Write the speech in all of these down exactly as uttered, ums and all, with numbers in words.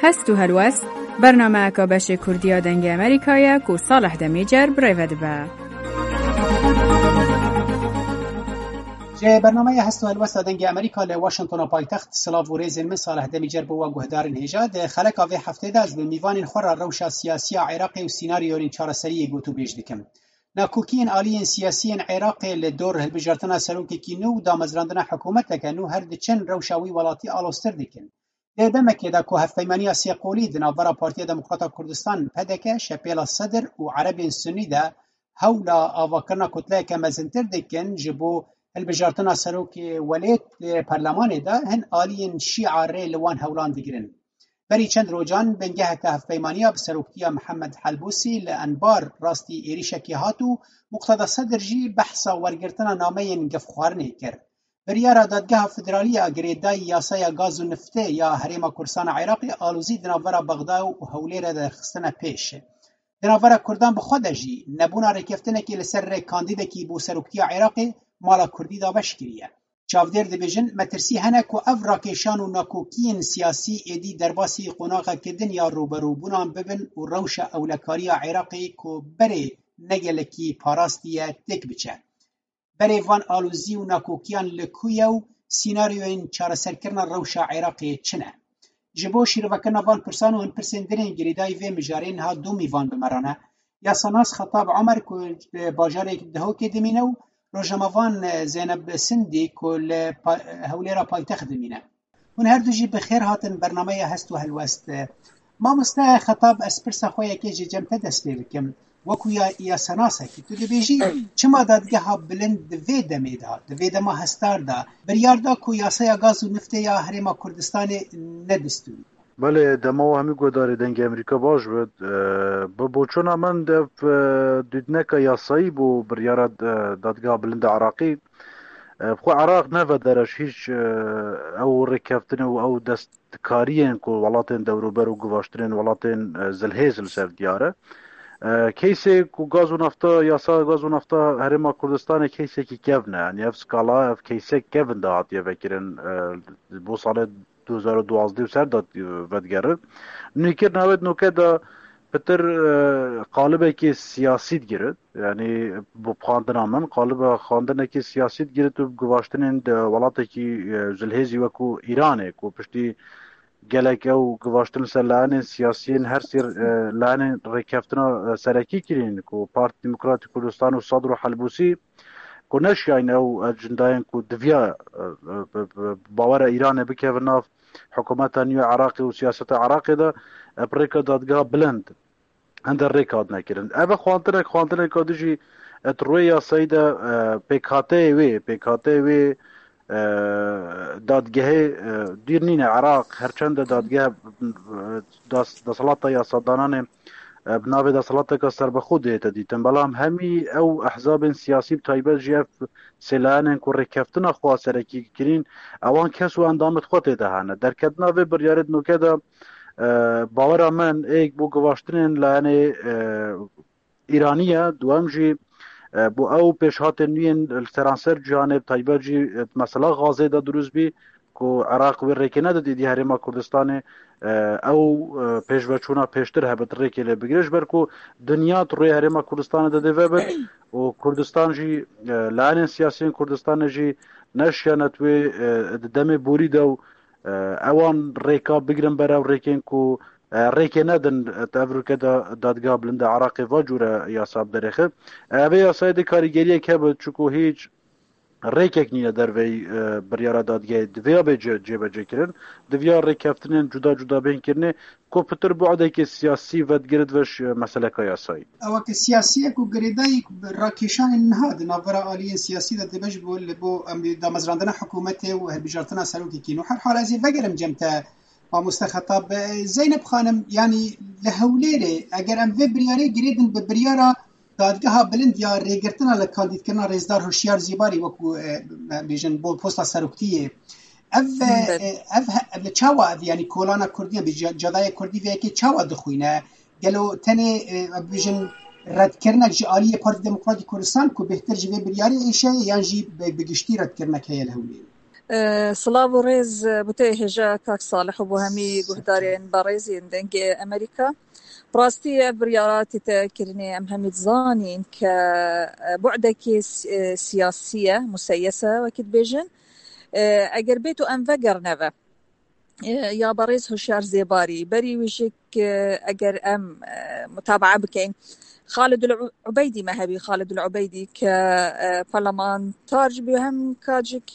Hest û helwest, bernameyeka beşê Kurdî ya Dengê Amerîka ye ku Salih Demîcer bi rê ve dibe. Ji bernameya Hest û Helwesta Dengê Amerîka li Washingtona paytext, silav û rêzên min Salih Demîcer bo we guhdarên hêja. Di xeleka vê heftê de ez bi mîvanên xwe re rewşa siyasî ya Iraqê û sînaryoyên çareseriyê gotûbêj dikim. Nakokiyên aliyên siyasî yên Iraqê li dor hilbijartina serokekî nû û damezrandina hikûmeteke nû her diçin rewşa wî welatî aloztir dikin. Di demekê de ku hevpeymaniya sêqolî di navbera Partiya Demokrata Kurdistan, P D K, Şepêla Sedir û Erebên Sunî de hewla avakirina kutleyeke mezintir dikin ji bo hilbijartina serokê welêt di perlemanê de, hin aliyên Şîa rê li wan hewlan digirin. Berî çend rojan bingeheke hevpeymaniya bi seroktiya Mihemed Helbûsî li Enbar rastî êrîşekê hat û Muqteda Sedir jî behsa wergirtina nameyên gefxwarinê kir. Biryara Dadgeha Federalî ya girêdayî yasaya gaz û niftê ya Herêma Kurdistana Iraqê alozî di navbera Bexda û Hewlêrê de xistine pêş. Di navbera Kurdan bi xwe de jî nebûna rêkeftinekê li ser rê kandîdekî bo seroktiya Iraqê mala Kurdî dabeş kiriye. Çavdêr dibêjin, metirsî hene ku ev rakêşan û nakokiyên siyasî êdî derbasî qonaxeke din ya rûberûbûnan bibin û rewşa ewlekariya Iraqê ku berê ne gelekî parastiye têk biçe. Berê van alozî û nakokiyan li ku ye û sînaryoyên çareserkirina rewşa Iraqê çi ne? Ji bo şîrovekirina van pirsan û hin pirsên din ên girêdayî vê mijarê niha du mîvan bi me re ne. Yasanas Xetab Omer ku li bajarê Dihokê dimîne û rojnamevan Zeyneb Sindî ku li pa-, Hewlêra paytext dimîne. Hûn her du jî bi xêr hatin bernameya Hest û Helwest. Mamoste Xetab, ez pirsa xwe yekê ji cem te dest pê bikim. Wekû ya, yasanas e ki tu dibêjî, çima dadgeha bilind di vê demê de, di vê dema hestar de, biryar da ku yasaya gaz û niftê ya Herêma Kurdistanê ne destûrî? Belê, dema we hemî guhdarê Dengê Amerîka baş bit. E, bi boçûna min de, e, dûdneka yasayî bû biryara, e, dadgeha bilind a Iraqî. E, bi xwe Iraq ne vedere ji hîç, e, ew rêkeftinê û ew destkariyên ku welatên dewrûber û givaştinên welatên, e, zilhêz li ser diyar e. E, keysê ku gaz û nafta, yasa gaz û nafta Herêma Kurdistanê keysekî kevn e. Yanî ev skala, ev keysek kevn de hatiye vekirin, e, bo salê du hezar û duwazdeh û ser de, e, vedigerin. Nûkirina wê di nûke de pitir, e, qalibekî siyasî digirin. Yanî bi xwendina min, qaliba xwendinekî siyasî digirit û bi givaştinên di welatekî, e, zilhêzî wekû Îranê, ku piştî gelek ew givaştin ser layenên siyasiyên her sê, e, layenên rêkeftina, e, serekî kirîn, ku Partî Demokratîk Kurdistan û Sadr û Helbûsî, ku neşiyayne ew ecindayên ku diviya, e, e, bi, bi, bi bawera Îranê bikevin nav hikûmeta nû ya Iraqê û siyaseta Iraqê de, e, bi rêka dadgeha bilind hende rêk hatine kirin. Ev e xwantinek, xwantineka dijî, e, di rûyê yasayî de, e, pêkhateyê wê, pêkhateyê wê, e, dadgehê, e, dûr nîne. Iraq, her çend e dadgeh, e, das-, deselata yasadananê, e, bi navê deselateka serbixwe dihête dîtin. Belam hemî ew ehzabên siyasî, bi taybet jî ev sê layenên ku rêkeftina xwe serekî kirîn, ewan kes û endamêt xwe tê de hene. Derketina vê biryarê di nûke de, e, bawera min êk bo givaştinên layenê, e, Îranî ye, duwem jî, e, bo ew pêşhatên nû yên li seranser cîhanê, bi taybet jî, e, mesela Gazê de dirust bî ku Iraq wê rêkê nede dîdî Herêma Kurdistanê, e, ew, e, pêşveçûna pêştir hebe di rêkê lê bigire, ji ber ku dinya di rûyê Herêma Kurdistanê de dê vebit û Kurdistan jî, e, layenên siyasiyên Kurdistanê jî neşiyane di wê, e, di demê borî de û, e, ewan rêka bigirin ber ew rêkên ku, e, rêkê nedin, e, di ev rûke de dadgeha bilind a Iraqê va cûre yasa biderêxin. E, vê yasayê dê karîgeriyek hebe, çuku hîç rêkek nîne derveyî, e, biryara dadgehê. Divê ya bê ce-, cêbecê kirin. Diviya rêkeftinên cuda cuda bên kirinê, ku pitir bu'dekê siyasî vedigirit ve ji meseleka yasayî. Ew ke siyasiyek û girêdayî rakêşanên niha di navbera aliyên siyasî de dibe ji bo, li bo, em, damezrandina hikûmetê û hilbijartina serokekî nû. Her hal ez ê vegerim cem te, mamoste Xetab. Zeynep Xanim, yanî li Hewlêrê eger em vê biryarê girêdin bi biryara dadgeha bilind ya rêgirtina li kandîdkirina Rêzdar Hişyar Zîbarî wekû, e, bêjin, bo posta seroktiyê. Ev, e, Belê. E, ev he-, ev çawa ev, yanî kolana Kurdî, bi ca-, cadayê Kurdî vê yekê çawa dixwîne? Gelo tenê, e, bêjin, redkirinek ji aliyê Partî Demokratîk Kurdistan ku bêhtir ji vê biryarê êşe, yan jî bi, bi giştî redkirinek heye li Hewlêrê? Silav û rêz bo te hêja kak Salih û bo hemî guhdarên berêzên Dengê Emerîka. Bi rastî ev biryara tête kirinê em hemî dizanîn ke bu'dekê siyasî ye, museyese wekî dibêjin. Eger bêt û em vegerine ve, ya berêz Hişyar Zêbarî, berî wî jî eger em mutabaa bikeyn, Xalidul Ubeydî me hebî, Xalidul Ubeydî ke parlamentar jî bû hem kacik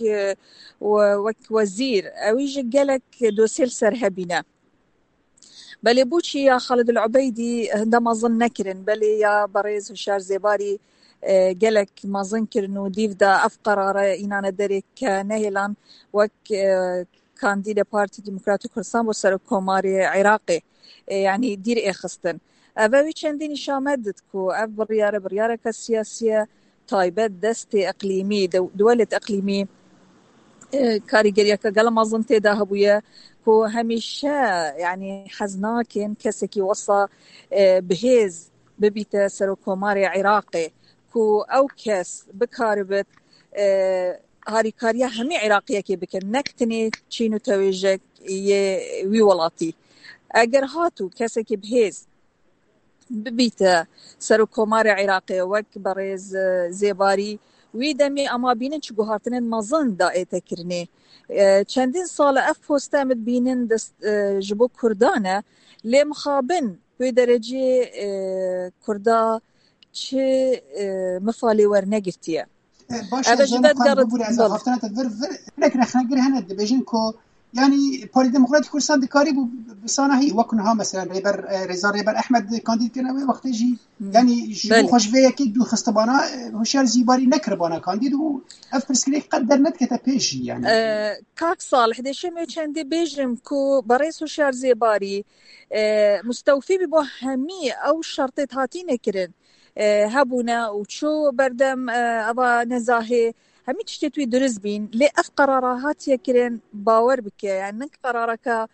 wek wezîr, ewî jî gelek dosyê li ser hebîne. Belê bo çi ya Xalidul Ubeydî hinde mezin nekirin, belê ya berêz Hişyar Zêbarî gelek mezin kirin û dîv de ev qerare înane derê ke nehêlan wek kandîdê Partî Demokratî Kurdistan bo Serokkomarê Iraqê, yanî dîr ê xistin. Ev ewî çendî nîşan me did ku ev biryare biryareke siyasî ye, taybet destê iqlîmî, dewlet iqlîmî, karîgeriyeke gela mezin tê de hebûye ku hemîşe, yanî hez nakin kesekî wesa bihêz bibîte Serokkomarê Iraqê, ku ew kes bikaribit harîkariya hemî Iraqiyekê bikin, nek tenê çîn û tewêjek yê wî welatî. Eger hat û kesekî bihêz bibîte Serokkomarê Iraqê wek berêz Zêbarî, wî demî ema bînin çi guhartinên mezin daête kirinê. Çendîn sal e ev poste em dibînin dest ji bo Kurdan e, lê mixabin wê derecê Kurda çi mifalê wernegirtiye. Baş e, Zeynep Xan, bibûre ez axaftina te vir vir. Hinek rexnegir hene dibêjin ku, yanî, Parî Demokratîk Kurdistan dikarî bû bi sanahî wek niha, mesela, Rêber, e, Rêza Rêber Ehmed kandîd kirine wê wextê jî, yanî, ji bo xwe ji vê yekê dûr xistibana, e, Hişyar Zêbarî nekiribana kandîd û ev pirsgirêk qet dernedikete pêş jî, yanî. E, kak Salih, dêşim wê çendê bêjim ku berêz Hişyar Zêbarî, e, mustewfî bî bo hemî ew şertê hatîne kirin. Hebûne û çû berdem eva nezahê, hemî tiştê wî dirist bîn. Lê ev qerara hatiye kirin, bawer bike, yani nek qerareke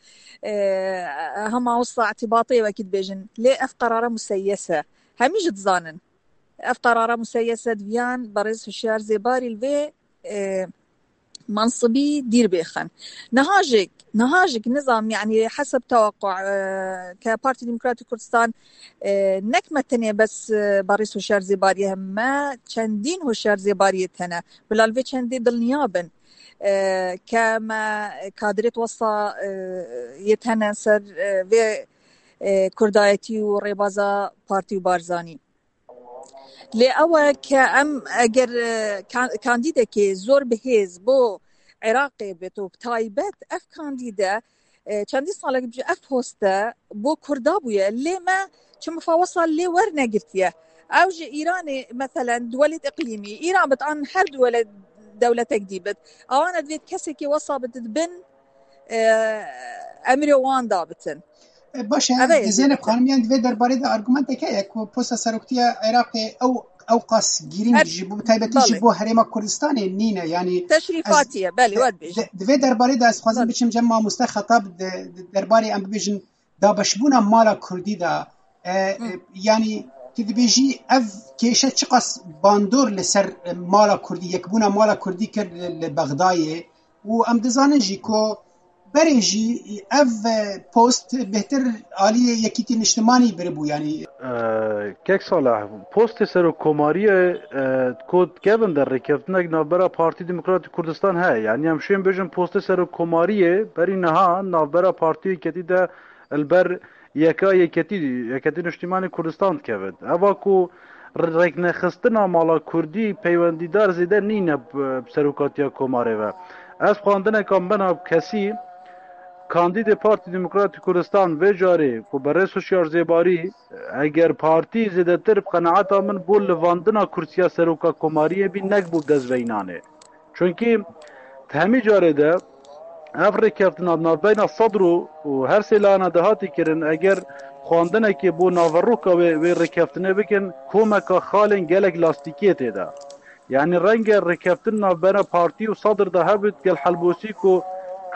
hema wisa îtîbatê wekî dibêjin. Lê ev qerara museyes e. Hemî jî dizanin. Ev qerara museyes e, diviyan berêz Hişyar Zêbarî li vê mansibî dîr bêxin. Niha jî, niha jî nizam, yani heseb tewequ, e, ke Partî Demokratîk Kurdistan, e, nek me tenê bes, e, berêz Hişyar Zêbarî, me çendîn Hişyar Zêbarî tene. Bila li vê çendê dilniya bin, e, ke me kadrêt wesa, e, yê tene ser, e, vê, e, kurdayetî û rêbaza partî û Barzanî. Lê ew e ke em eger, e, ka-, kandîdekê zor bi hêz bo Iraqê bit û bi taybet ev kandîde, e, çendî salek bi ev poste bo Kurda bûye. Lê me çi mifawesa lê wernegirtiye. Ew ji Îranê, meselen, duwelêt iqlîmî, Îran bit an her duwelêt dewletek dî bit. Awana divêt kesekî wesa bit di bin, e, emrê wan dabitin. E, baş e, Zeynep Xanim, yani di vê derbarê de argumentek heye ku posta seroktiya Iraqê ew, ew qas girîng ji bo, taybetî ji bo Herêma Kurdistanê nîne, yani teşrîfatî ye, belê, we dibêjin. Di vê derbarê de ez xwazim biçim cem mamoste Xetab, di, di derbarê em bibêjin dabeşbûna mala Kurdî de, e, e, yani tu dibêjî ev kêşe çiqas bandor li ser, e, mala Kurdî, yekbûna mala Kurdî kir li, li Bexdayê û em dizanin jî ku berê jî ev, e, post bêhtir aliyê Yekîtî Niştimanî biribû, yani. E, kek Salih, postê serokkomariyê, e, ku dikevin de rêkeftinek navbera Partî Demokratîk Kurdistan heye, yani em şên bêjin postê serokkomariyê berî niha navbera Partî Yeketî de li ber yeka yeketî, Yeketî Niştîmanî Kurdistan dikevin. Eva ku rêknexistina mala Kurdî peywendîdar zêde nîne bi, bi serokatiya komarê ve. Ez xwendineka min a kesî, kandîdê Partî Demokratîk Kurdistan vê carê ku berêz Hişyar Zêbarî, eger partî zêdetir bi qenaeta min bo livandina kursiya seroka komariyê bî, nek bo dest veyinanê. Çunkî di hemî carê de ev rêkeftina di navbeyna Sedr û, û her sê layena de hatî kirin, eger xwendinekê bo naveroka wê, wê rêkeftinê bikin, komeka xalên gelek lastîkiyê tê de. Yanî renge rêkeftin navbeyna partî û Sedr de hebit gel helbosî ku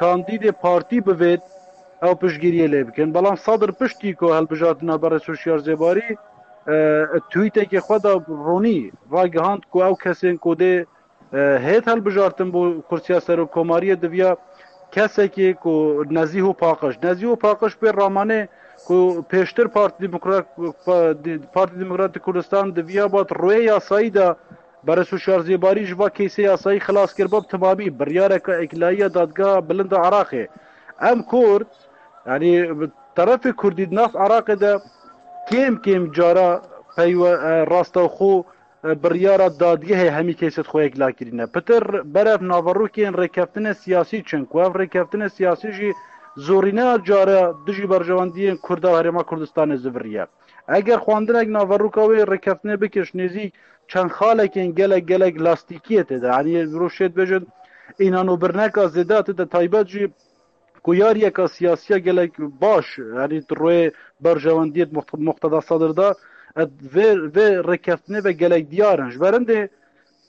kandîdê partî bivêt ew piştgiriyê lê bikin. Belam Sedr piştî ku hilbijartina berê Hişyar Zêbarî, e, tweetekê xwe de ronî ragihand ku ew kesên ku dê E, hêt hilbijartin bo kursiya serokkomariyê diviya kesekî ku nezîh û paqij. Nezîh û paqij pê ramanê ku pêştir Partî Demokrat, Pa-, Partî Demokratîk Kurdistan diviya bat rûyê yasayî de Beres Hişyar Zêbarî ji va keysê yasayî xilas kiriba bi timamî. Biryareke êkilî ya Dadgeha Bilind a Iraqê. Em Kurd, yanî bi terefê Kurdî di nav Iraqê de kêm kêm cara peywe-, e, rastewxo, e, biryara dadgehê hemî keysê xwe yekla kirîne. Pitir berev naverokên rêkeftinê siyasî çin ku ev rêkeftinê siyasî jî zorîneya cara dijî berjewendiyên Kurda û Herêma Kurdistanê ziviriye. Eger xwendinek naveroka wê rêkeftinê bikir ji nêzîk çend xalekên gelek gelek lastîkiyê tê de, yanî mirov şêt bêjin, înan û birneka zêde tê de, taybet jî ku yariyeka siyasiya gelek baş, yanî di rûyê berjewendiyê Muqt-, Muqteda Sedir de, e, vê, vê rêkeftinê ve gelek diyar in. Ji ber hindê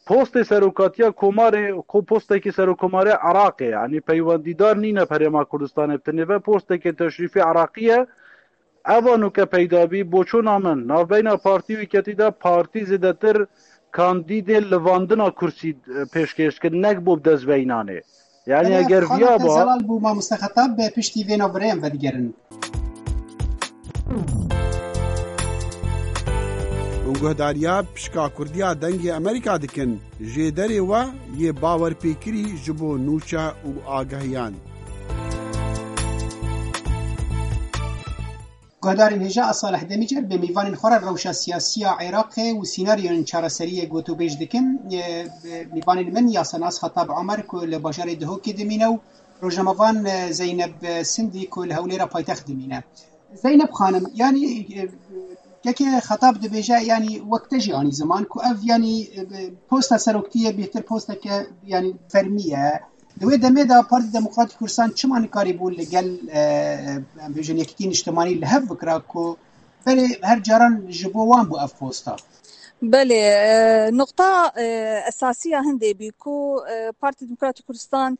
postê serokatiya komarê, ku postekî serokkomarê Iraqê, yanî peywendîdar nîne bi Herêma Kurdistanê, bi tenê ve postekê teşrîfê Iraqî ye. Eva nûke peyda bî, boçûna min, navbeyna partî û yeketî de partî zêdetir kandîdê livandina kursî, e, pêşkêş dikin, nek bo bi dest ve înanê. Yanî Belê, eger viya xalete ba zelal bû mamoste Xetab, be piştî vê navberê em vedigerin. Hûn guhdariya pişka Kurdiya Dengê Amerîka dikin. Jêderê we yê bawerpêkirî ji bo nûçe û agahiyan. Guhdarên hêja, ez Salih Demîcer, bi mîvanên xwe re rewşa siyasî ya Iraqê û sînaryoyên çareseriyê gotûbêj dikim. E, mîvanên min, yasanas Xetab Omer ku li bajarê Dihokê dimîne û rojnamevan, e, Zeyneb Sindî ku li Hewlêra paytext dimîne. Zeyneb xanim, yanî, e, kekê Xetab dibêje, yanî wek te jî anî ziman ku ev, yanî, e, posta seroktiyê bêhtir posteke, yanî, fermî ye. Di wê demê de Partî Demokratîk Kurdistan çima nikarîbû li gel, e, em bêjin, Yekîtî Niştimanî li hev bikira ku berê her caran ji bo wan bû ev posta? Belê, e, nuqta, e, esasî ya hindê bî ku, e, Partî Demokratîk Kurdistan,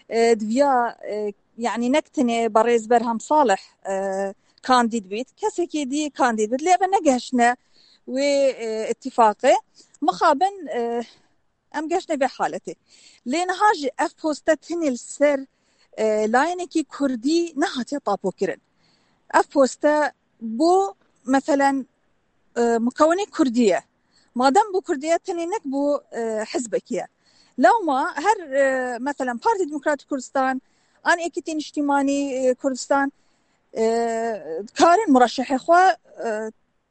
e, diviya, e, yanî nek tenê berêz Berham Salih, e, kandîd bît, kesekî dî kandîd bît. Lê ev negehiştine wê, e, îtîfaqê. Mixabin, e, em geştine vê haletê. Lê niha jî ev poste tenê li ser, e, layenekî kurdî nehatiye tapokirin. Ev poste bo, meselen, e, mukewinê kurdî ye. Madem bo kurdî ye, tenê nek bo, e, hizbekî ye. Lewma her, e, meselen, Partî Demokratîk Kurdistan, an Yekîtî Niştimanî, e, Kurdistan, e, karin mureşehê xwe, e,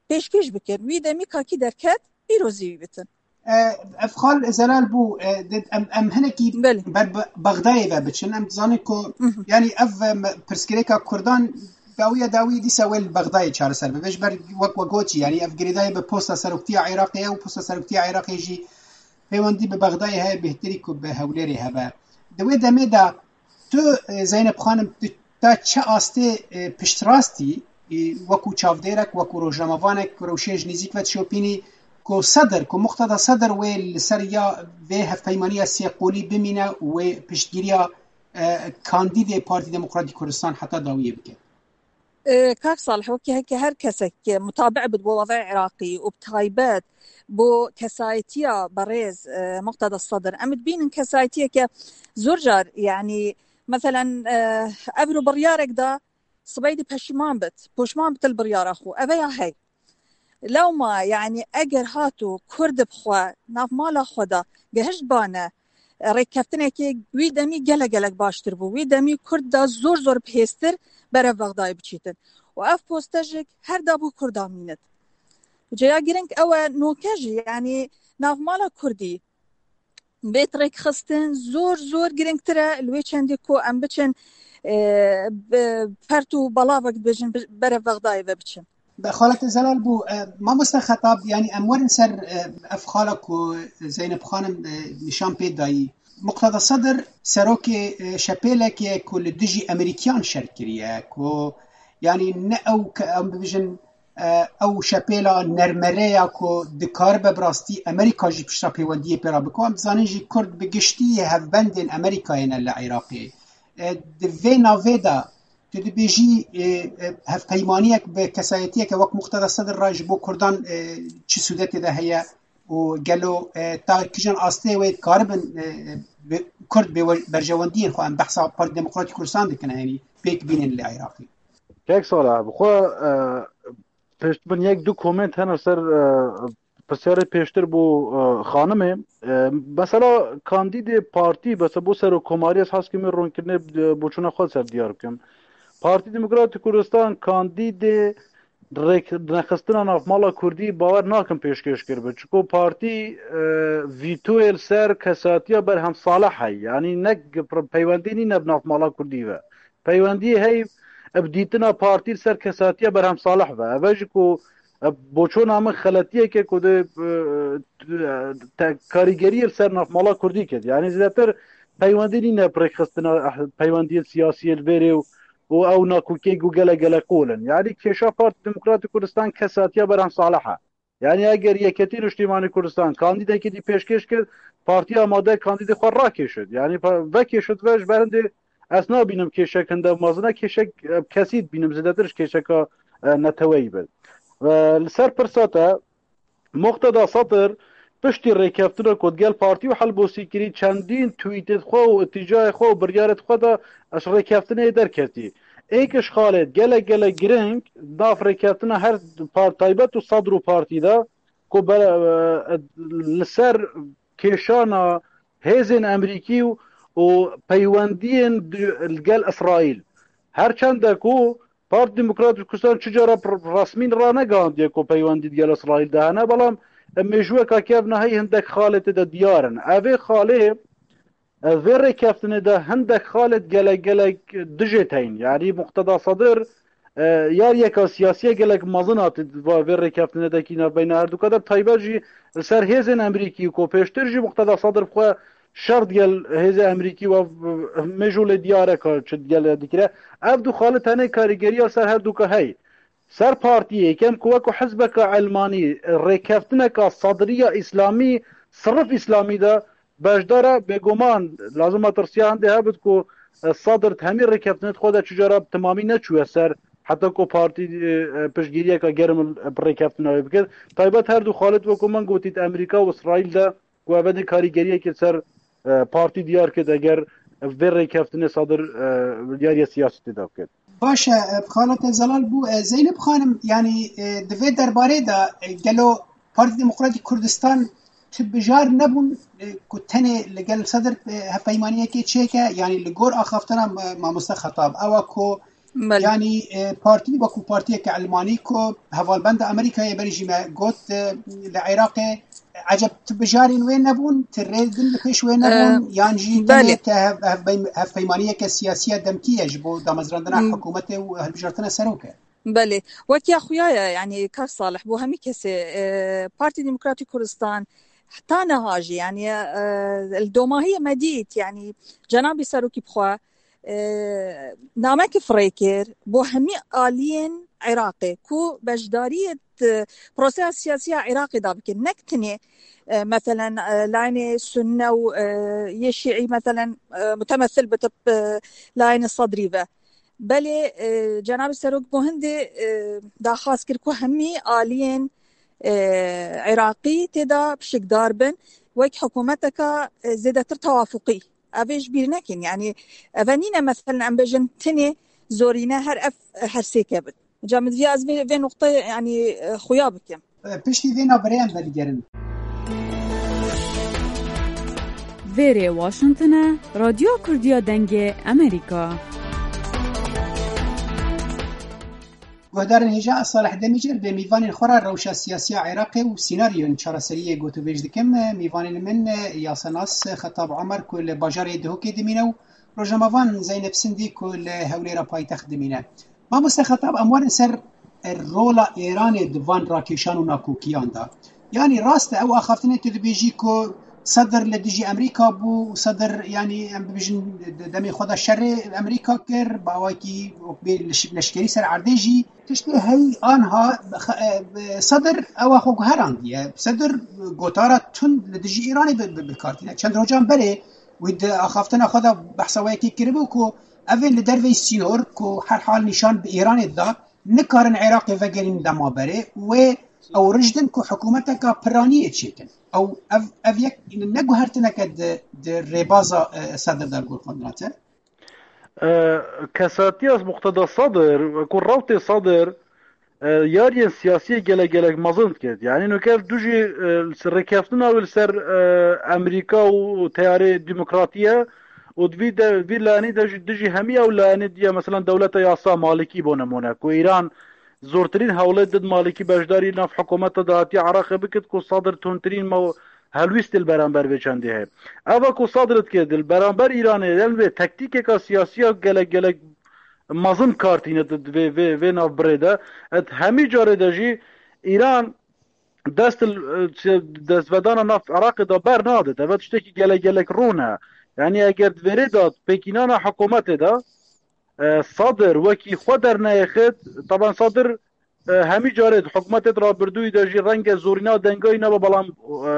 pêşkêş bikin. Wî demî kakî derket, îro zî wî bitin. E, ev xal zelal bû, e, di-, em, em hinekî Belê. ber Be-, Bexdayê ve biçin. Em dizanin ku, Mhm. yanî ev, e, me-, pirsgirêka Kurdan dawiya dawî dîsa wê li Bexdayê çareser bibe. Ji ber wek we gotî, yanî ev girêdayî bi posta seroktiya Iraqê ye û posta seroktiya Iraqê jî peywendî bi Bexdayê heye, bêhtirî ku bi Hewlêrê hebe. Di wê demê de tu, e, Zeynep xanim, tu ta çi astê, e, piştrastî, e, wekû çavdêrek, wekû rojnamevanek, rewşê ji nêzîk ve dişopînî ku Sedir, ku Muqteda Sedir wê li ser ya vê hevpeymaniya sê qolî bimîne û wê piştgiriya, e, kandîdê Partî Demokratîk Kurdistan heta dawiyê bike? E, kak Salih, wekî heke her kesek mutabi bit bo wezayê Iraqî û bi taybet bo kesayetiya berêz, e, Muqteda Sedir. Em dibînin kesayetiyeke zor car, yanî, meselen, e, ev ro biryarek da, sibey di peşiman bit, poşman bit li biryara xwe. Eve ya hey. Lewma, yanî, eger hato Kurd bi xwe, nav mala xwe de gehişt bane, rêkeftinekê wî demî gelek gelek baştir bû. Wî demî Kurd da zor zor bi hêztir berev Bexdayê biçîtin. Û ev poste jî her da bo Kurda mînit. Ceya girîng ew e, noke jî, yanî, navmala Kurdî bêt rêkxistin zor zor girîngtir e, li wê çendî ku em biçin, e, bi fert û belavek dibêjin, bi-, berev Bexdayê ve biçin. Be xalete zelal bû, e, mamoste Xetab, yanî em werin ser, e, ev xala ku Zeynep xanim, e, nîşan pê dayî. Muqteda Sedir serokê, e, şepêlekê ku li dijî Emerîkiyan şer kiriye, ku yanî ne ew ke em bibêjin, e, ew şepêla nermereya ku dikaribe bi rastî Emerîka jî pişta pêwendiyê pê re bike. Em dizanin jî Kurd bi giştî hevbendên Emerîkayê ne li Iraqê. E, di vê navê de tu dibêjî, e, e, hevpeymaniyek bi kesayetiyeke wek Muqteda Sedir re ji bo Kurdan, e, çi sûdetê de heye? û gelo, e, ta kîjan astê wê dikaribin, e, bi-, Kurd bê we-, berjewendiyên xwe, em behsa Partî Demokratîk Kurdistan dikin, yanî pêk bînin li Iraqê. Kek Salih, bi xwe, e, pişt min yek du komênt hene ser, e, pirsyarê pêştir bû, e, xanimê. E, mesela kandîdê partî, mesela bo serokkomariyê, ez hez kim wê ronkirinê, e, boçûna xwe ser diyar bikim. Partî Demokratîk Kurdistan kandîdê rêk-, nexistina navmala Kurdî bawer nakim pêşkêş kiribe. Çiko partî, e, vîtoyê li ser kesatiya Berhem Salih heye. Yanî ne g-, peywendî nîne bi navmala Kurdî ve. Peywendiyê heye bi dîtina partî li ser kesatiya Berhem Salih ve. Eve jî ku, e, boçona min xeletiyeke ku dê, e, te-, karîgeriyê li ser navmala Kurdî kir. Yanî zêdetir peywendî nîne bi rêkxistina, eh, peywendiyên siyasiyê li vêrê û û ew nakokiyê ku gelek gelek qol in. Yanî kêşa Partî Demokratîk Kurdistan kesatiya Berhem Salih e. Yanî eger Yeketî Niştîmanî Kurdistan kandîdekî dî pêşkêş kir, partî amade kandîdê xwe rakêşit. Yanî pa-, vekêşit ve ji ber hindê ez nabînim kêşek hinde mezin e, kêşek, e, kesî dibînim, zêdetir ji kêşeka, e, neteweyî be. E, li ser pirsa te, Muqteda Sedir piştî rêkeftina ku digel partî û Helbûsî kirî, çendîn twîtê xwe û îtîcayê xwe û biryarê xwe de ji rêkeftinê derketî. Êk ji xalê gelek gelek giring nav rêkeftina her par-, taybet û Sedr û partî de ku ber-, e, li ser kêşana hêzên Emerîkî û, û peywendiyên di-, li gel Îsraîl. Her çende ku Partî Demokratîk Kurdistan çi cara pr-, resmî ranegihandiye ku peywendî digel Îsraîl de hene, belam, e, mêjûyeka kevna heyî hindek xalê tê de diyar in. Evê xalê, e, vê rêkeftinê de hindek xalê gelek gelek dijê teyn. Yanî Muqteda Sedir, e, yariyeka siyasiye gelek mezin hatî va vê rêkeftinê de kî navbeyna herduka de, taybet jî li ser hêzên Emerîkî ku pêştir jî Muqteda Sedir bi xwe şer digel hêzê Emerîkî we mêjû lê diyar e ka çi digel dikire. Ev du xalê tenê karîgeriya ser her duka hey. Ser partiyê yekem ku weko hizbeka elmanî rêkeftineka Sedriya Îslamî, sirif Îslamî de beşdar e, bêguman lazim e tirsiya hindê hebit ku, e, Sedr di hemî rêkeftinê xwe de çi cara bi timamî neçûye ser, heta ku partî, e, e, piştgiriyeka germ bi rêkeftina wê bikir. Taybet her du xalê weko min gotî di Emerîka û Îsraîl de ku ev ê karîgeriyekê ser, e, partî diyar kir, eger vê rêkeftinê Sedir, e, diyariya siyasî tê de bikir. Baş e, e, xalete zelal bû. E, Zeynep xanim, yanî, e, di vê derbarê de, e, gelo Partî Demokratîk Kurdistan ti bijar nebûn, e, ku tenê li gel Sedir, e, hevpeymaniyekê çêke, yanî li gor axaftina, e, mamoste Xetab, ewa ku Belê. Yanî, e, partî wekû partiyeke Elmanî ku hevalbenda Amerîkayê berî jî me got, e, li Iraqê eceb ti bijarên wê nebûn, ti rê din li pêş wê nebûn, E, yan jî belê. Tenê te hev-, hevbeym-, hevpeymaniyeke siyasiya demkî ye ji bo damezrandina Hmm. hikûmetê û hilbijartina serokê? Belê. Wek ya xuya ye, yanî kak Salih, bo hemî kesê, e, Partî Demokratîk Kurdistan heta niha jî, yanî, e, li domahiyê me dît, yanî cenabî serokî bi xwe, e, namekî firê kir bo hemî aliyên Iraqê ku beşdariyê di proseya siyasî ya Iraqê de bikin. Nek tenê, e, meselen, e, layînê Sunne û, e, yê Şîî, meselen, e, mutemethil bi tip, e, layînê Sedrî ve. Belê, e, cenabê serok bo hindê, e, daxwaz kir ku hemî aliyên, e, Iraqî tê de pişikdar bin, wek hikûmeteka, e, zêdetir tewafuqî. Ev ê ji bîr nekin. Yanî, ev nîne, meselen, em bêjin tinê zorîne her ev, her sêke bin. Ca min divê ez vê, vê noqteyê, yanî, e, xuya bikim. E, piştî vê navberê em vedigerin. Vêrê Washington e, Radyo Kurdiya Dengê Amerîka. Guhdarên hêja, ez Salih Demîcer bi mîvanên xwe re rewşa siyasiya Iraqê û sînaryoyên çareseriyê gotivêj dikim. Mîvanên min, e, yasenas Xetab Omer ku li bajarê Duhokê dimîne û rojnamevan Zeynep Sindî ku li Hewlêra paytext dimîne. Mamoste Xetab, em werin ser rola Êranê di van rakêşan û nakokiyan de. Yanî rast e, ew axaftinê tu dibêjî ku Sedir li dijî Emerîka bû û Sedir, yanî em bibêjin, di demê xwe de şerê Emerîka kir, bi awakî wek bê leş-, leşkerî ser erdê jî. Tiştê hey anha xe-, e, Sedir ewa xwe guherandiye. Sedir gotara tund li dijî Îranê bi, bi, bi kar tîne. Çend rojan berê wî di axaftina xwe de behsa wê yekê kiribû ku ev ê li derveyî sînor ku her hal nîşan bi Îranê dida, nikarin Iraqê vegerîn dema berê. Wê Ew rijdin ku hikûmeteka piraniyê çêkin. Ew ev, ev yek neguhertineke di, di rêbaza, e, Sedir de li gor xwe dirate. E, Kesatiya Muqteda Sedir, ku rewtê Sedir, e, yariyên siyasiyê gelek gelek mezin dikir. Yanî nuke ev du jî, e, li ser rêkeftina wê li ser, e, Amerîka û teyarê demokratî ye û di vî de, vî layenî de jî dijî hemî ew layenê diye, mesela dewleta yasa Malikî bo nemûne, ku Îran zortirîn hewlê did Malikî beşdarî nav hikûmeta dahatiya Iraqê bikit, ku Sedir tundtirîn me helwîstê li beramber vê çendê heye. Eva ku Sedir dikê di li beramber Îranê, yan vê tektîkeka siyasiya gelek gelek mezin kartîne di vê, vê, vê nav birê de. Et hemî carê de jî Îran dest, destvedana nav Iraqê de bernade. Ev tiştekî gelek gelek rûne. Yanî eger di vêrê de pêkînana hikûmetê de, e, Sedir wekî xwe derneyêxit, taban Sedir, e, hemî carê di hikûmetê di rabirdûyî de jî renge zorîna dengayî nebe, belam, e,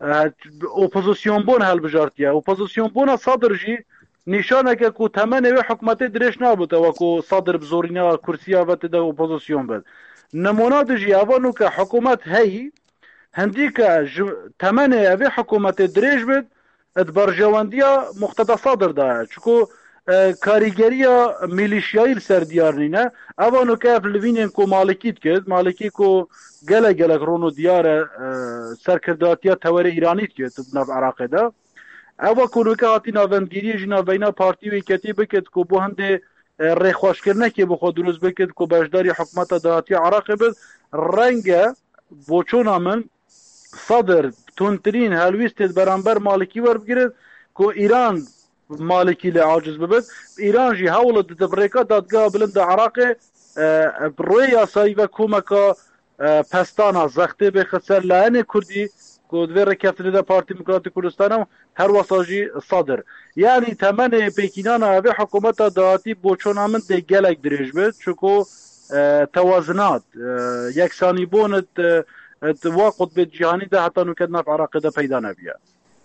e, opozisyonbûn helbijartiye. Opozisyonbûna Sedir jî nîşaneke ku temenê wê hikûmetê dirêj nabûte, wekû Sedir bi zorîna kursiya ve tê de opozisyon bit. Nemûna dijî eva nûke hikûmet heyî, hindî ke ji temenê evê hikûmetê dirêj bit, di berjewendiya Muqteda Sedir de ye. Çiku, e, karîgeriya milîşyayî li ser diyar nîne. Eva nûke ev livînên ku Malikî dikir, Malikî ku gelek gelek rûn û diyar e, e, serkirdatiya tewerê Îranî dikir di nav Iraqê de. Eva ku nûke hatî navendgiriyê jî navbeyna partî û yeketî bikit ku bo hindê, e, rêxweşkirinekê bi xwe dirust bikit ku beşdarî hikûmeta dahatiya Iraqê bit. Renge boçûna min Sedir tundtirîn helwîstê di beramber Malikî werbigirit ku Îran Malikî lê aciz bibit. Îran jî hewl dide bi rêka dadgeha bilind a Iraqê, e, bi rê yasayî ve komeka, e, pestana zextê bêxit ser layenê Kurdî ku di vê rêkeftinê de Partî Demokratîk Kurdistanê û her wesa jî Sedir. Yanî temenê pêkînana evê hikûmeta dahatî boçûna min dê gelek dirêj bit. Çiku, e, tewazinat, e, yeksanîbûn di, e, di wa qutbê cîhanî de heta nûke di nav Iraqê de peyda nebiye.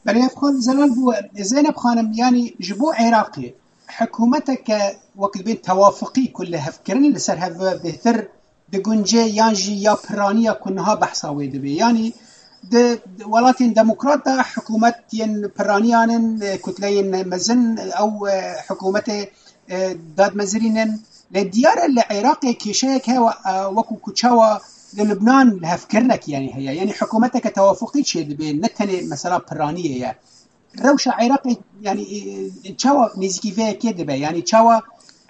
Belê, ev xwe Zelal bû, Zeynep Xanim, yanî ji bo Iraqê hikûmeteke wek dibên tewafiqî ku li hevkirin li ser hev bêhtir digunce yan jî ya piraniya ku niha behsa wê dibe. Yanî di welatên demokrat de hikûmet yên piraniyan in, kutleyên mezin, ew, e, hikûmetê, e, dadmezirîn in. Lê diyar e li Iraqê kêşeyek heye, e, wekû ku çawa li Lubnan li hevkirinek yanî heye. Yanî hikûmeteke tewafuqî çêdibe, ne tenê mesela piraniyê ye. Rewşa Iraqê, yanî, e, çawa nêzîkî vê yekê dibe? Yanî çawa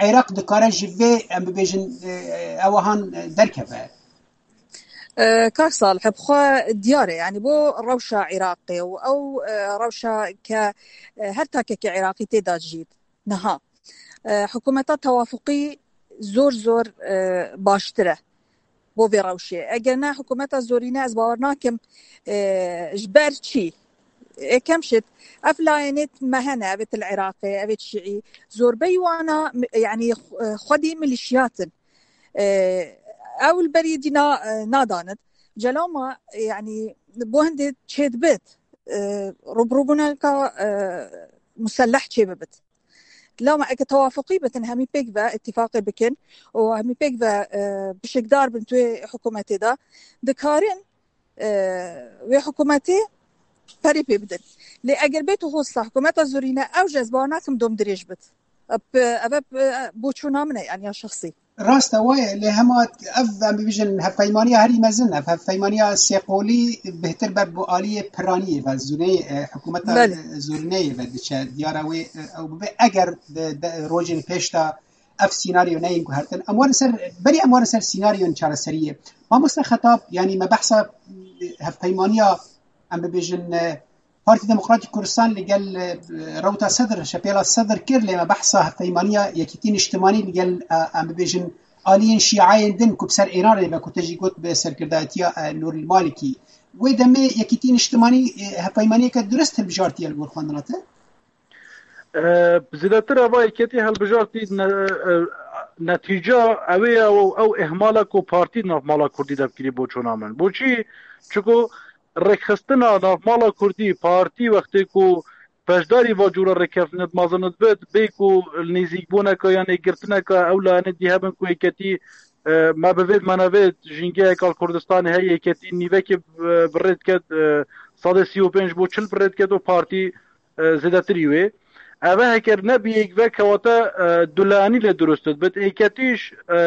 Iraq dikare ji vê, em bibêjin, e, ewahan, e, derkeve? E, Kak Salih, bi xwe diyar e, yanî bo rewşa Iraqê û ew, e, rewşa ke, e, her takekî Iraqî tê de dijît niha, e, hikûmeta tewafuqî zor zor, e, baştir e bo vê rewşê. Eger ne hikûmeta zorîne, ez bawer nakim, e, ji ber çi? Ekem şit, ev layenê me hene, evê til Iraqê, evê şiî, zorbeyî wana, yanî, e, xwedî milîşiyat in. E, ew li berî dîna, e, nadanit. Celama, e, yanî, bo hindê çêdibit, e, rûbirûbûneka, e, muselleh çêbibit. Lama eke tewafuqî bitin, hemî pêk ve îtîfaqê bikin û hemî pêk ve, e, pişikdar bin tu wê hikûmetê de, dikarin, e, wê hikûmetê perê pê bidin. Lê eger bê tu hosta hikûmeta zorîne, ew jî ez bawer nakim dom dirêj bit. Ev, ev, ev boçûna min e, yanî ya şexsî. Rast e, waye, lê hema ev, em bibêjin, hevpeymaniya herî mezin, ev hevpeymaniya sêqolî bêhtir be bi aliyê piraniyê ve, zûneyê, e, hikûmeta, Belê. e, zûrineyê ve diçe. Diyar e wê, e, ew bibe, eger di, di rojên pêş de ev sînaryo neyên guhertin. Em werin ser, berî em werin ser sînaryoyên çareseriyê. Mamoste Xetab, yanî me behsa, e, hevpeymaniya, em bibêjin, e, Partî Demokratîk Kurdistan li gel, e, rewta Sedr, şepêla Sedr kir, lê me behsa hevpeymaniya Yekîtî Niştimanî li gel, e, em bibêjin, aliyên şîayên din ku bi ser Îranê ve, ku te jî got bi serkirdayetiya, e, Nûrîl Malikî. Wê demê Yekîtî Niştimanî, e, hevpeymaniyeke dirust hilbijartiye li gor xwe, ne wisa? E, zêdetir eva Yekîtî hilbijartî ne-, e, netîca ew ê ew, ew ihmala ku partî nav mala Kurdî de bikirî boçûna min. Boçî? Çiku rêkxistina navmala Kurdî, partî wextê ku beşdarî va cûra rêkeftinê dimezin dibit, bê ku nêzîkbûneke yan ê girtineke ew layenê dî hebin ku yeketî E, me bi vê, me ne vê jîngeheka li Kurdistanê heye, yeketî nîvekê bi, bi rê diket, e, sedê sî û pênc bo çil bi rê diket û partî, e, zêdetirî wê. Eve heker nebî yek ve kewate, e, dulanî lê durust dibit. Êketîş, e,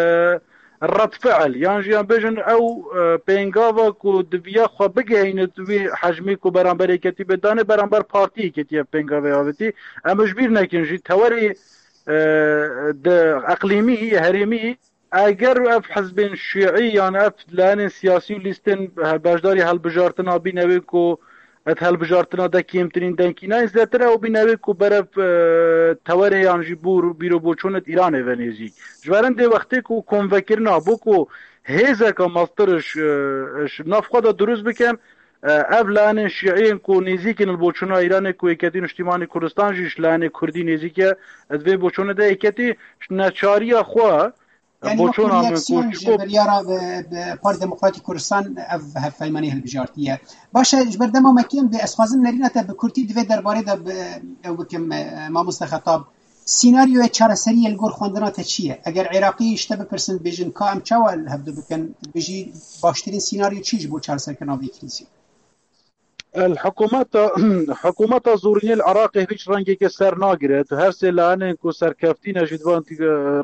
red fiil, yan jî yan bêjin ew, e, pêngava ku diviya xwe bigehînit wî hecmî ku beramber êketî bê danê, beramber partî êketî ev pêngavê avêtî. Em ji bîr nekin jî tewerê, e, di eqlîmî, herêmî, eger ev hizbên şîî yan ev layenên siyasî û lîstên beşdarî helbijartina bîne wê ku et helbijartina de kêmtirîn dengî nayên, zêtir ew bîne wê ku berev, e, tewerê yan jî bûr bîroboçûnet Îranê ve nêzîk. Ji ber hindê wextê ku konvekirina bû ku hêzeka meztir ji, e, ji nav xwe de dirust bikin, e, ev layenên şîî yên ku nêzîk in li boçûna Îranê ku Yeketî Niştîmanî Kurdistan jî ji layenê Kurdî nêzîk e, di vê boçûnê de Yeketî ji neçariya xwe Yani wek boçûna min ku reaksiyon ji çiko biryara bi, bi Partî Demokratîk Kurdistan ev hevpeymanî hilbijartiye. Baş e, ji ber dema me kêm be, ez xwazim nerîna te bi kurtî di vê derbarê de bi, ew bikim, e, mamoste Xetab. Sînaryoyê çareseriyê li gor xwendina te çi ye? Eger Iraqî ji te bipirsin, bêjin ka em çawa li hevdu bikin, dibêjî baştirîn sînaryo çi ji bo çareserkirina vê krîzê? El hikûmeta, hikûmeta zorînê li Iraqê hiç rengeke ser nagire. Tu her sê layenên ku serkeftî ne jî divan, e,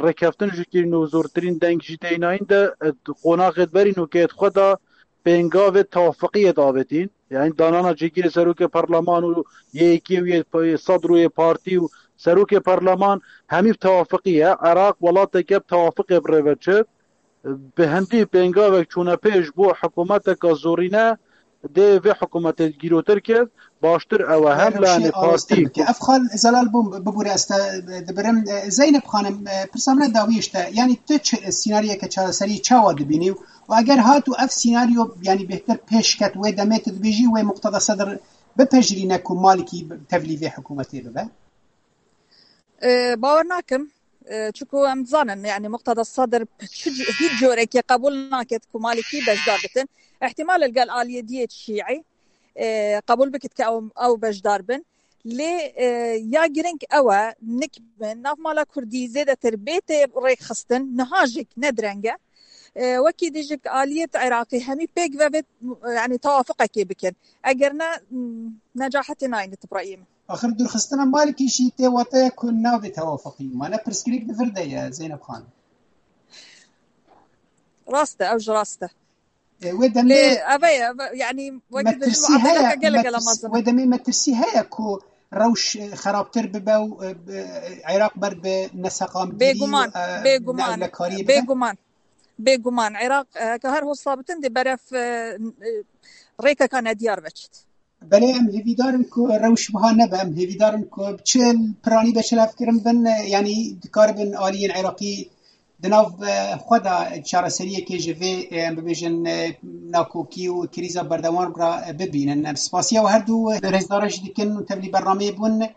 rêkeftin jî kirin û zortirîn deng jî tênayîn de, e, qonaxê berî nûkeyê xwe da pêngavê tewafiqiyê davêtîn. Yani danana cîgirê serokê parleman û yê yekê û yê p-, yê sedr û yê partî û serokê parleman hemî bi tewafiqî ye. Iraq welateke bi tewafiqê bi rê ve çi. Bi hindî pêngavek çûne pêş bo hikûmeteke zorîne, dê vê hikûmetê gîrotir kir, baştir ew e. Her Her layenê rewşê partî awestir bike. Ev xal Zelal bû, bibûre ez te dibirim. E, Zeynep Xanim, e, pirsa min e dawî işte. Yani tu çi, sînaryoyeke çareserî çawa dibînî û eger hat û ev sînaryo yani bêhtir pêş ket wê demê tu dibêjî wê Muqteda Sedr bipejirîne ku Malikî tevlî vê hikûmetê bibe? E, bawer nakim. E, çiku em dizanin, yani Muqteda Sadr çi c-, hiç corekê qebûl naket ku Malikî beşdar bitin. Ehtimal li gel aliyê diyê şîî, e, qebûl bikit ke ew, ew beşdar bin. Lê, e, ya giring ew e, nik bi nav mala Kurdî zêdetir bê tê rêkxistin, niha jî ne direng e. E, wekî dî jî aliyê Iraqî hemî pêk ve vê, yani tewafiqekê bikin. Eger ne, m, necahetê nayne, tu bi rayê min. Axir dûrxistina Malikî jî tê wateya ku nabê tewafiqî. Mane pirsgirêk di vir de ye, Zeynep Xan. Rast e, ew jî rast e. E, wê demê Lê ev e, ev e, yani wekî dibêjin metirsî muameleke heye, gelek metirs-, gelek mezin e. Wê demê metirsî heye ku rewş, e, xerabtir bibe û, e, bi, Iraq ber bi neseqamgirî Bêguman, û, e, bêguman, neewlekariyê bibe. Bêguman. Bêguman. Iraq, e, heke her hosta bitin dê berev, e, e, rêkeka nediyar veçit. Belê em hêvîdar in ku rewş wiha nebe, em hêvîdar in ku çi piranî beşelevkirin bin, e, yanî dikaribin aliyên Iraqî di nav, e, xwe de çareseriyekê ji vê, e, em bibêjin, e, nakokî û krîza berdewam re, e, bibînin. Em spasiya we her du rêzdara jî dikin û tevlî bernameyê bûn.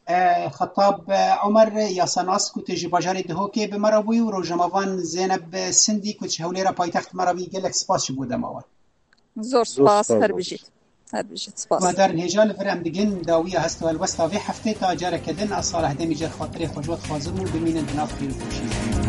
E, Xetab, e, Omer, yasanas ku tu ji bajarê Dihokê bi me re bûyî û rojnamevan Zeyneb Sindî ku ji Hewlêra paytext me re bûyî, gelek spas ji bo dema we. Zor Zor spas, spas, her zor bijît. Her bijît, spas. Guhdarên hêja, li vir em digin dawiya hest û helwesta vê heftê ta careke din, ez Salih Demîcer xatirê xwe ji we dixwazim û bimînin di nav xêr û xweşiyê.